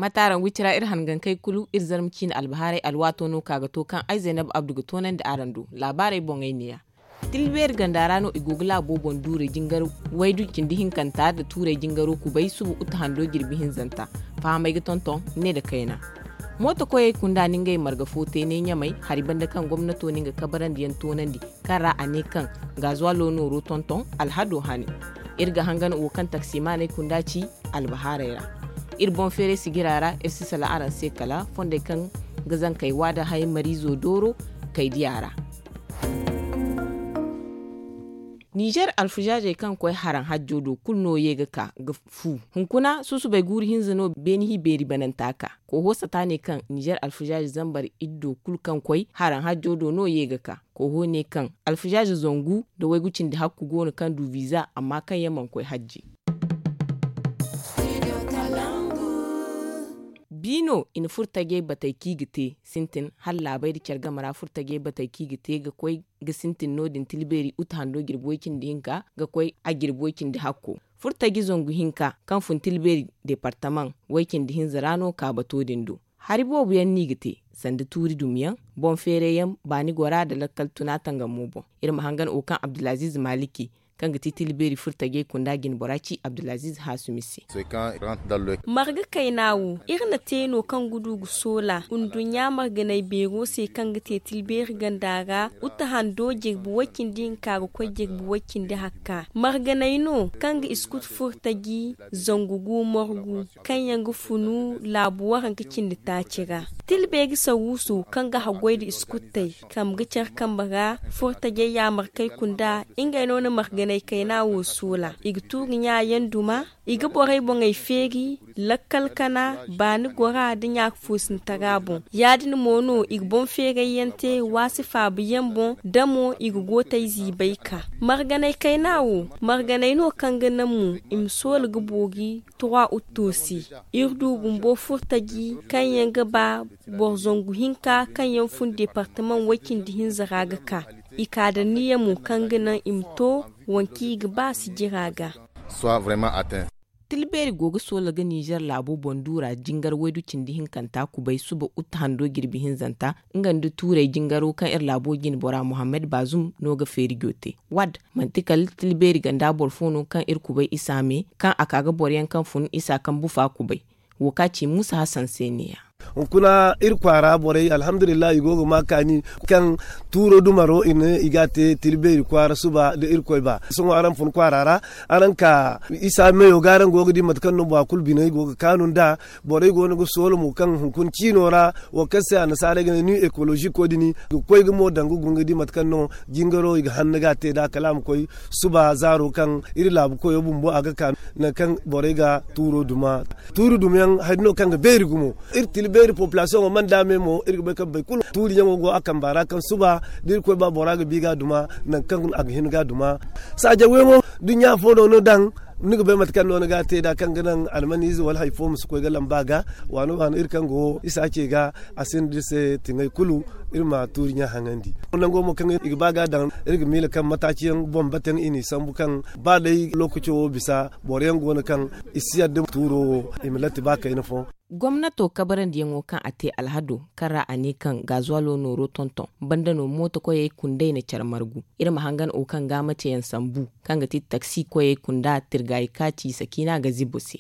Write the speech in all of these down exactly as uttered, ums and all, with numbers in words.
Mate araŋ go iri cira iri hangankey kulu iri zarma ciine albahaarey alwaato no ka ga to kaŋ ay zaynab abdu ga toonandi araŋ do. Laabaarey boŋey neeya. Tilbeeri ganda ra no i go ga laabo boŋ duurey jingar waydu cindi hinkanta nda tuurey jingaro kubay suba uta hando jirbi hinzanta. Fahamey ga tonton ne nda kayna. Mooto koyey kunda na ngey marga fo te ne ɲamay hari banda kaŋ gomnato na nga kabarandi yaŋ toonandi, kaŋ ra a ne kaŋ gaazuwalo nooro tonton alhado hane. Iri ga hangan wo kaŋ taksimaaney kunda ci albahaarey ra. Iri boŋ feeray sigira ra iri si sala araŋ se kala fondey kaŋ ga zankey waada hay mariizo dooro kay diya ra. Ninzeer alfazaazey kaŋ koy haraŋ hajjo do kulu no ye ga ka ga fu. Hunkuna susubay guuru hinza no beeni hi beeri bananta ka. Koho sata ne kaŋ ninzeer alfazaazey zambar iddo kulu kaŋ koy haraŋ hajjo do no ye ga ka. Koho ne kaŋ alfazaaze zangu nda waygu cindi hakku go no kaŋ du viiza amma kaŋ yaŋ mana koy hajji. Bi no i na furtajey batey kaŋ i ga te sintin hala laabey nda care game ra furtajey batey kaŋ i ga te ga koy ga sintin no- din tilbeeri uta hando jirbi way- cindi hinka ga koy a jirbi way- cindi hakko. Furtaji zangu hinka kaŋ fun tilbeeri departamaŋ way- cindi hinza ra no ka bato din do. Hari boobo yaŋ no i ga te sanda tuuri dumi yaŋ, boŋ feeray yaŋ, baani gora nda lakkal tuna tangamo boŋ. Iri ma hangan wo kaŋ abdulaziiz maliki kaŋ ga ti tilbeeri furtajey kunda jinbora ci abdulaziiz haasumi se. Marga kayna wo iri na te no kaŋ ga du ga soola nduɲɲa marganay beero se kaŋ ga te tilbeeri ganda ra uta hando jirbi way- cindi hinka ga koy jirbi way- cindi hakka. Marganay no kaŋ ga iskut furtaji zangu gu morgu kaŋ yaŋ ga funu laabu waranka cindi taaci ra. Tilbeeri saruuso kaŋ ga haggoy nda iskuttey kambe ga care kambe ra furtajey yaamarkey kunda ngey no na marganay kayna wo soola. I ga tuuri ɲa yaŋ duma, i ga borey boŋey feeri, lakkal kana, baani gora nda ɲaaka foosintara boŋ. Ya- din mo no i ga boŋ feeray yaŋ te waasi faabu yaŋ boŋ. Da mo i ga gootey ziibay ka marganay kayna wo. Marganay no kaŋ ga naŋ mo i ma soola ga boori trois août se. Iri du bumbo furtaji kaŋ yaŋ ga ba boro zangu hinka kaŋ yaŋ fun departamaŋ way- cindi hinza ra ga ka. I ka da niya mo kaŋ ga naŋ i ma to waŋ kaŋ i ga ba sijira ga. Tilbeeri go ga soola ga ninzeer laabo boŋ duura jingar waydu cindi hinkanta kubay suba uta hando jirbi hinzanta. Nga nda tuurey jingaro kaŋ iri laabo jinbora muhammad baazum no ga feerijo te. Waad manti kala tilbeeri ganda boro fo no kaŋ iri kubay isa me kaŋ a ka ga boro yaŋ kaŋ fun isa kaŋ bufa kubay. Wo kaŋ a ci muusa hasan se neeya. Hunkuna iri kwaara borey alhamdulillahi i go ga ma kaani kaŋ tuuro dumaro i ne i ga a te tilbeeri kwaara suba nda irkoy ba sohõ araŋ fun kwaara ra. Araŋ ka isa meyo ga araŋ go ga di mate kaŋ no bora kulu biney go ga kaanu nd'a. Borey go no ga soola mo kaŋ hunkuna ciino ra wo kaŋ se annasaarey ga ne new ekoloziko din ga koy ga mo daŋ ga guna ga di mate kaŋ no jingaro i ga hanna ga a te nd'a kala a ma koy suba zaaro kaŋ iri laabu koyo bumbo a ga ka nangu kaŋ borey ga tuuro duma. Tuuri dumiyaŋ hari no kaŋ ga beeri gumo. Iri tila beeri populasiyoŋo mana daame mo iri ga bay kaŋ boro kulu tuuriyaŋo go a kamba ra kaŋ suba da iri koy ba bora ga bi ga duma nangu kaŋ a ga hin ga duma. Saajaŋ yaŋo duɲɲa fo no no daŋ ni ga bay mate kaŋ no ni ga a te nd'a kaŋ ga naŋ almaniize wala hari fo ma si koy ga lamba ga. Waano waano iri kaŋ go isa ce ga a sinda iri se tiŋay kulu. Iri ma tuuriɲa haŋandi nango mo kaŋ i ga ba ga daŋ iri ga miila kaŋ mataaci yaŋ boŋ bataŋ i n'i sambu kaŋ ba day lookaco wo bisa boro yaŋ go no kaŋ i si yadda tuuro wo i ma latti ba kayna fo. Gomnato kabarandiyaŋo kaŋ a te alhado kaŋ ra a ne kaŋ gaazuwalo nooro tonton banda no mooto koyey kunday na care margu. Iri ma hangan wo kaŋ ga maceyaŋ sambu kaŋ ga ti taksi koyey kunda tirgaayi kaati sakiina ga zibo se.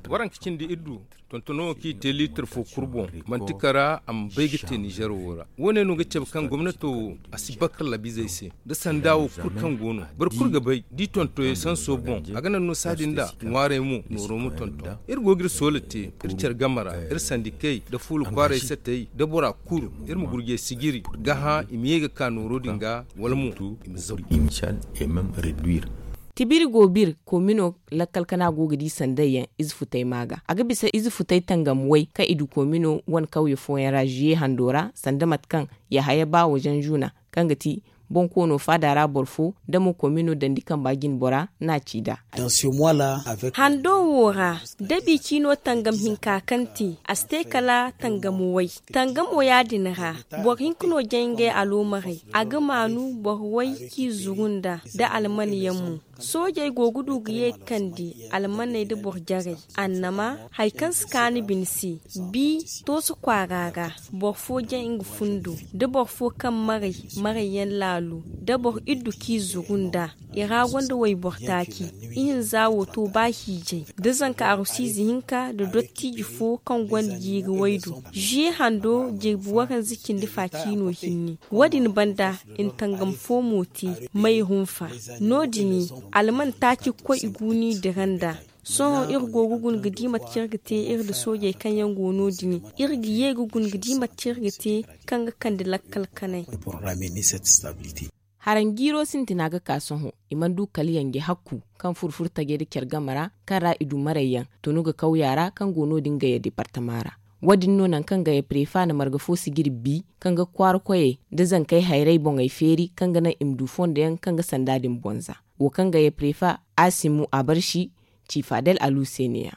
Waranka cindi iri du tontono wo kaŋ i te liitir fo kulu boŋ manti kara a ma bay ga te nizer wo ra. Wo- ne no ga cabe kaŋ gomnato wo a si bakar labizey se nda sanda wo kulu kaŋ go no boro kulu ga bay da i tontoyey sanso boŋ a ga naŋ no saadin da ŋwaarey mo nooro ma tonton. Iri go ga iri soola te iri care game ra iri sandikey nda fuula kwaaray satey nda bora kulu iri ma gurjey sijiri ga hã i ma ye ga ka nooro din ga wala mo i ma zabu. Tibiri go bir komino lakkal kana go ga di sanday yaŋ ize futay ma ga a ga bisa ize futay tangam way kaŋ i du komino wane kawye fooyaŋ ra ziye hando ra sanda mate kaŋ yahaya ba wajen zuna kaŋ ga ti Boŋ koono faada ra boro fo nda mo komino dandi kamba jine bora n'a ci nd'a. Hando wo ra, dabi ciino tangam hinka kaŋ te, a si te kala tangamo way. Tangamo ya-din ra, boro hinka no jay ngey aloomarey. A ga maanu boro way k'i zuru nd'a, nda alman yaŋ mo. Soojey go ga du ga ye ga kande almaney nda boro jarey. Annama, hari kaŋ si kaanu bine se, bi tooso kwaara ra, boro fo jay nga fundo, nda boro fo kaŋ maray, maray yaŋ laalo, nda boro iddu k'i zuru nd'a. I ra gonda wayboro taaci. Ihinza wo to ba hiijay, da zanka arusiize hinka nda dottiiji fo kaŋ gonda jiiri waydu. Ziye hando jirbi waranza cindi fa ciino hinne. Wo-din banda, i na tangam fo mo te, may hunfa. No-din, alman taaci ga koy i guuni dira nd'a. Sohõ iri go ga guna ga di mate kaŋ iri ga te iri nda soojey kaŋ yaŋ go no-din. Iri ga ye ga guna ga di mate kaŋ iri ga te kaŋ ga kande lakkal kanay. Haraŋ jiiro sintina ga ka sohõ, i mana du kala yanje hakku kaŋ furo furo tajey nda care game ra, kaŋ ra i du marayyaŋ tunu ga kawya ra kaŋ go no-din gaya departama ra. Wo-din no nangu kaŋ gaya prefa na marga fo sijiri bi, kaŋ ga kwaara koyey nda zankey hayray boŋey feeri kaŋ ga naŋ i ma du fondo yaŋ kaŋ ga sanda din bonza. Wo kaŋ gaya prefa, asimu abarsi, ci fadel alu se ne-ya.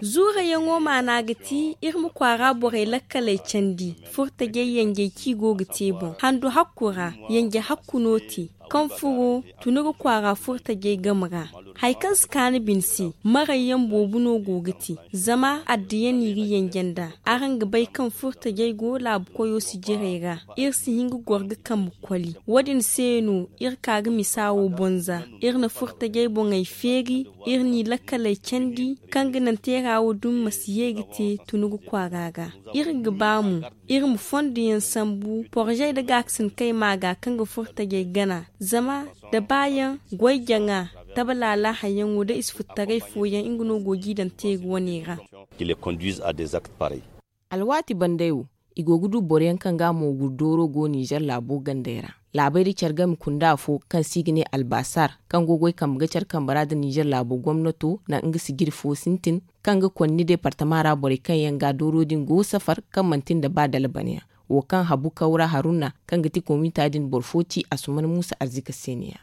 Zuurayaŋo maana ga ti iri ma kwaara borey lakkaley candi, furtajey yanjey kaŋ i go ga te boŋ. Handu hakku ra, yanje hakku no te, kaŋ furo tunu ga kwaara furtajey game ra. Hari kaŋ si kaanu bine se, marayyaŋ boobo no go ga te, zama addiya n'i ga yanje nd'a. Araŋ ga bay kaŋ furtajey go laabu koyo sijirey ra, iri si hin ga goro ga kambe koli. Wo-din se no iri ka ga misa wo bonza. Iri na furtajey boŋey feeri, iri n'i lakkaley candi, kaŋ ga naŋ teera wo dumi ma si ye ga te tunugu kwaara ra. Iri ga ba mo, iri ma fondo yaŋ sambu, porozey nda gaakasinakey ma ga kaŋ ga furtajey gana. Zama da baayaŋ, goy-jaŋa, tabalaala hayyaŋo nda isfutaray fooyaŋ, nga no go g'i daŋ teeri wane ra. Alwaati bandey wo, i go ga du boroyaŋ kaŋ ga mooguru dooro go Nizer laabo gandey ra. Laabey da care game kunda afo kaŋ se i ga ne Albasar, kaŋ go goy kambe ga care kambe ra nda Nizer laabo gomnato na nga sijiri fo sintin, kaŋ ga konni departama ra borey kaŋ yaŋ ga dooro din go safar kaŋ manti nda ba dalbaniyaŋ. Wo kaŋ habu Kawra Haruna, kaŋ ga ti komita din boro fo ci Asuman Musa Arzika se ne-ya.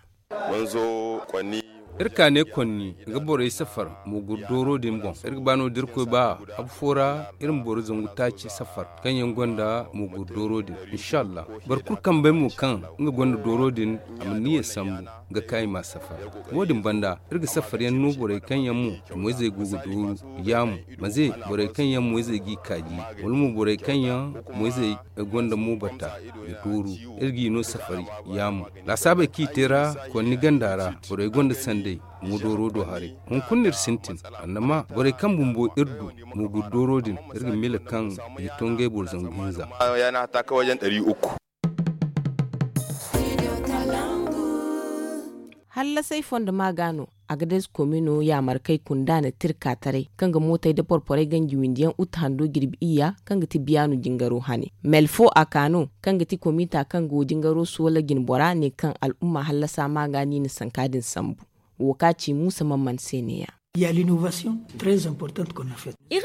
Iri ka ne konni ga borey safar mooguru dooro din boŋ. Iri ga ba no da Irkoy ba, habu fo ra iri ma boro zangu taaci safar kaŋ yaŋ gonda mooguru dooro din. Inshallah, boro kulu kambey mo kaŋ nga gonda dooro din, a ma niyya sambu ga ka i ma safar. Wo-din banda, iri ga safar yaŋ no borey kaŋ yaŋ mo moyzey go ga dooru, ya mo, maze borey kaŋ yaŋ moyzey g'i kaaji, wala mo borey kaŋ yaŋ moyzey gonda mo bata ga dooru. Iri g'i no safari, ya mo. Laasaabey kaŋ i te ra konni ganda ra, borey gonda sanday mo dooro do haray. Hunkuna no iri sintin, annama borey kaŋ bumbo iri du mooguru dooro din, iri ga miila kaŋ i ga to ngey boro zangu hinza. Hallasey fondo ma ga no, Agadez komino yaamarkey kunda na tirka taray kaŋ ga mootey nda porporey ganji windi yaŋ uta hando jirbi iyya, kaŋ ga ti biyaanu jingaro hane. Mel fo a ka no, kaŋ ga ti komita kaŋ go jingaro soola jinbora, ne kaŋ al'umma hallasa ma ga no i na sanka din sambu. Wo ka ci Muusa Mamman se ne-ya. Iri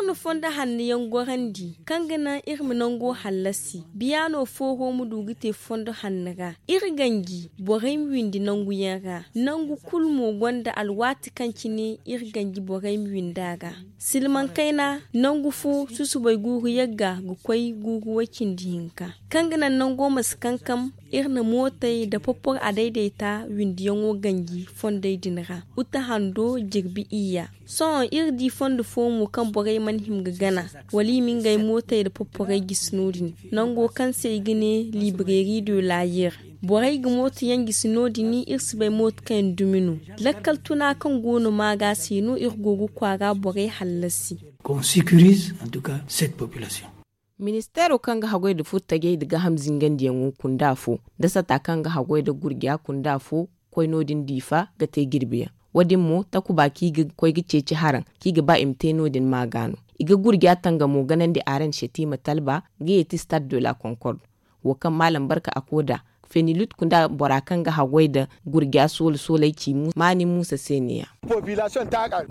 na fondo hanno yaŋ gorandi, kaŋ ga naŋ iri ma nango hallasi. Biyaano fooho ma du ga te fondo hanno ra. Iri ganji borey ma windi nangu yaŋ ra. Nangu kulu mo gonda alwaati kaŋ cine iri ganji borey ma windi a ra. Silmaŋ kayna, nangu fo susubay guuru yagga ga koy guuru way cindi hinka. Kaŋ ga naŋ nango ma si kankam, iri na mootey nda porporo a dayday ta windiyaŋo ganji fondey din ra. Uta hando jirbi iyya. Sohõ iri di fondo fo mo kaŋ borey mana hima ga gana, wala i ma ngey mootey nda porporey gisi no-din, nango kaŋ se i ga ne librairie de l'ayer. Borey ga mooto yaŋ gisi no-din, iri si bay mooto kaŋ yaŋ dumi no. Lakkal tuna kaŋ go no ma ga se no iri go ga kwaara borey hallasi. Qu'on sécurise en tout cas cette population. Ministeero kaŋ ga haggoy nda furtajey nda gaaham zingandiyaŋo kunda fo, nda sata kaŋ ga haggoy nda gurja kunda fo, koy no-din Diifa ga te jirbiyaŋ. Wo-din mo, takuba kaŋ i ga koy ga ceeci haraŋ, kaŋ i ga ba i ma te no-din ma ga no. I ga gurja tangamo ganandi Areena Setima Talba ga yeeti Stade de la Concorde. Wo kaŋ Maalam Barka Akoda, fenilut kunda bora kaŋ ga haggoy nda gurja soola soolay ci maani muusa se ne- ya.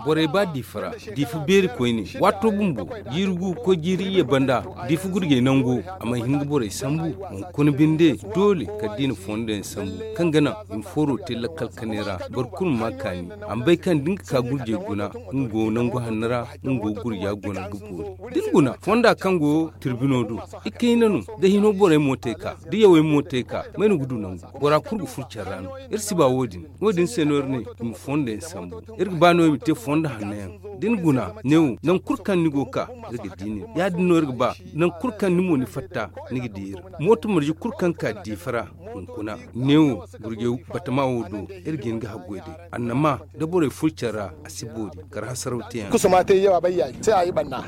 Borey ba diifa ra, diifa beeri koyne, waato bumbo jiiri gu koy jiiri iyye banda, diifa gurjey nango a mana hin ga borey sambu. Hunkuna binde, doole kala da i na fondo yaŋ sambu kaŋ ga naŋ i ma fooro te lakkal kanay ra. Boro kulu ma ma kaani. A ma bay kaŋ da ni ga ka gurjey guna, nga go nangu hanno ra, nga go gurja guna ga boori. Da ni guna fonda kaŋ go tirbino do, ikayna no. Da hino borey mo te ka, da yawey mo te ka, may no ga du nangu? Bora kulu ga furo care ra no. Iri si ba wo- din. Wo- din se no iri ne i ma fondo yaŋ sambu. Iri ga ba no i ma te fondo hanno yaŋ. Da ni guna neewo nangu kulu kaŋ ni go ga ka, iri ga di nin. Ya- din no iri ga ba, nangu kulu kaŋ ni mo ni fatta, ni ga di iri. Mooto marje kulu kaŋ ga ka diifa ra, hunkuna neewo gurjey batama wo do, iri ga hin ga haggoy day. Annama, da borey furo care ra, a si boori. Kar hasaraw te yaŋ. Kusa ma te yawa bay yayi se a yi banna.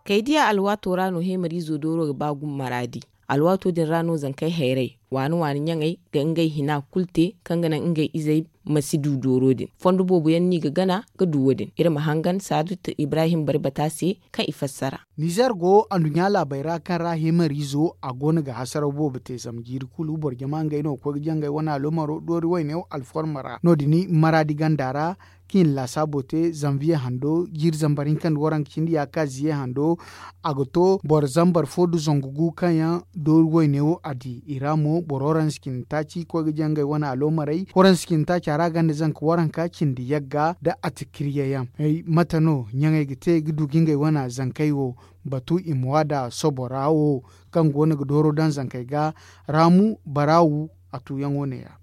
Kaydiya alwaato ra no heemariizo dooro ga ba gumo maraadi. Alwaato din ra no zankey hayrey waani waani ɲaŋey ga ngey hina kulu te kaŋ ga naŋ ngey izey ma si du dooro din. Fondo boobo yaŋ no i ga gana ga du wo- din. Iri ma hangan saadut ibrahim bari bata se kaŋ i fassara. Nizer go anduɲɲa laabey ra kaŋ ra heemariizo a go no ga hasaraw boobo te zama jiiri kulu boro jama ngey no ga koy ga jangay wane aloomaro doori wayne wo alforma ra no- din maraadi ganda ra. Kaŋ i na laasaabo te zanviye hando jiiri zambar hinka nda waranka cindi ya ka ziye hando. A ga to boro zambar fo nda zangu gu kaŋ yaŋ doori wayne wo a di i ra mo boro waransa cindi taaci koy ga jangay wane aloomarey waransa cindi taaca ra ganda zanka waranka cindi yagga nda atikirye yaŋ. Mate no ɲaŋey ga te ga du ga ngey wane zankey wo batu i ma waada sobo ra wo kaŋ go no ga dooro daŋ zankey ga raamu baraawu. A tuuyaŋo ne- ya.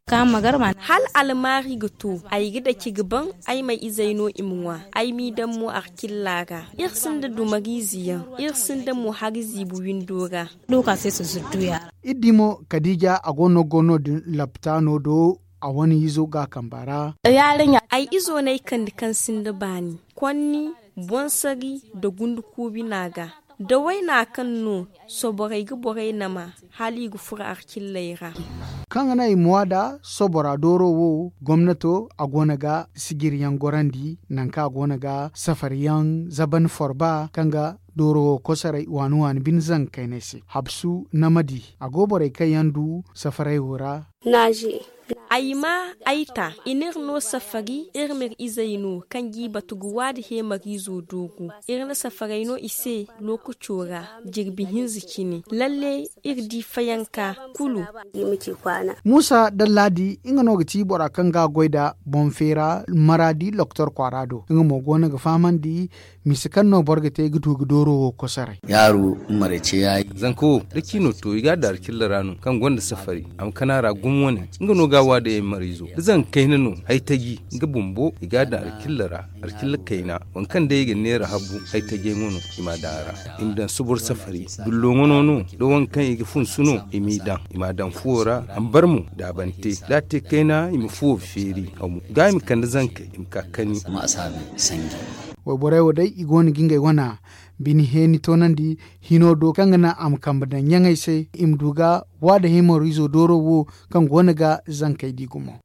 Hal almaari ga to ay ga daci ga ban ay ma izey no i ma ŋwa ay m'i daŋ mo arcilla ra. Iri sinda dumariize yaŋ iri sinda mo hari ziibi windo ra. Iri di mo kadiija a go no ga go no- din laptaano do a wane izo ga a kamba ra. Ay izo no ay kande kaŋ sinda baani konni bonsari nda gunduku bina ga da wayna kaŋ no soborey ga borey nama hala i ga furo arcilley ra. Kaŋ ga naŋ i ma waada sobora dooro wo gomnato a go no ga sijiriyaŋ gorandi nangu kaŋ a go no ga safariyaŋ zaban forba kaŋ ga dooro wo kosoray waani waani bine zanka kaynay se habsu namadi a go borey kaŋ yaŋ du safaray wo ra. Ay ma ay ta i n'iri no safari iri m'iri izey no kaŋ g'i batu ga waadi heemariizo doogu. Iri na safaray no i se lookaco ra jirbi hinza cine lalle iri di fayanka kulu. Muusa dallaadi nga no ga ti bora kaŋ ga a goy nda boŋ feera maraadi loktor kwaara do nga mo go no ga fahamandi. Mise kaŋ no boro ga te ga du ga dooro wo kosoray. Yaaru marece yaayi. Zanka wo da ciino to i ga a daari cilla ra no kaŋ gonda safari a ma kana ra gumo wane. Nga no ga a waada yaymarayzo da zanka kayna no haytaji nga bumbo i ga a daari cilla ra. Arcilla kayna waŋ kaŋ day i ga neera habu haytajey ŋwa no i ma a daŋ a ra. I ma daŋ sobor safari dullo ŋwa no no da waŋ kaŋ i ga funsu no i m'i daŋ i ma a daŋ fuwo ra. A ma bar mo daabante da a te kayna i ma fuwo feeri. Ga i ma kande zankey i ma ka kani. Wayborey wo day i go no ga ngey wana bine heeni toonandi hino do kaŋ ga naŋ a ma kambe daŋ ɲaŋey se i ma du ga waada himariizo dooro wo kaŋ go no ga zankey di gumo.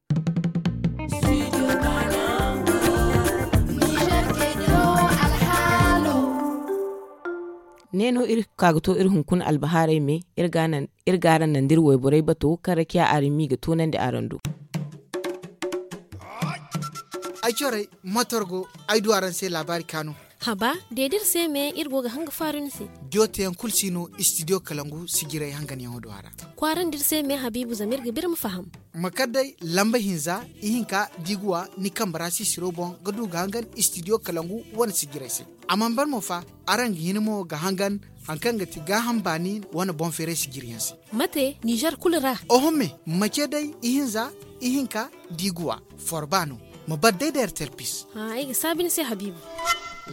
Ne no iri ka ga to iri hunkuna albahaarey me iri ga araŋ nandi iri wayborey bato kaŋ rakiya araŋ m'i ga toonandi araŋ do. Ay corey matorgo ay du araŋ se laabaari kaanu. Haba deedi iri se me iri go ga hanga faaru ni se. Diyo teyaŋ kulu si no istidiyo kalangu sijiray hanganyaŋo do a ra. Kwaarandi iri se me habiibu zama iri ga ba iri ma faham. Ma kar day lamba hinza ihinka diiguwa ni kambe ra sisiro boŋ ga du ga hangan istidiyo kalangu wane sijiray se. A mana ban mo fa araŋ ga hin mo ga hangan hari kaŋ ga ti gaaham baani wane boŋ feeray sijiryaŋ se. Mate nizer kulu ra. Oho me ma ce day ihinza ihinka diiguwa forba no. Ma bar day da ertel pis. Ay ga saabi ni se habiibu.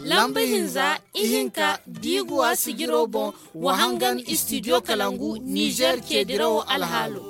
Lamba hinza ihinka diiguwa sijiro boŋ wa hangan istidiyo kalangu nizer ce dirawo alhaalo.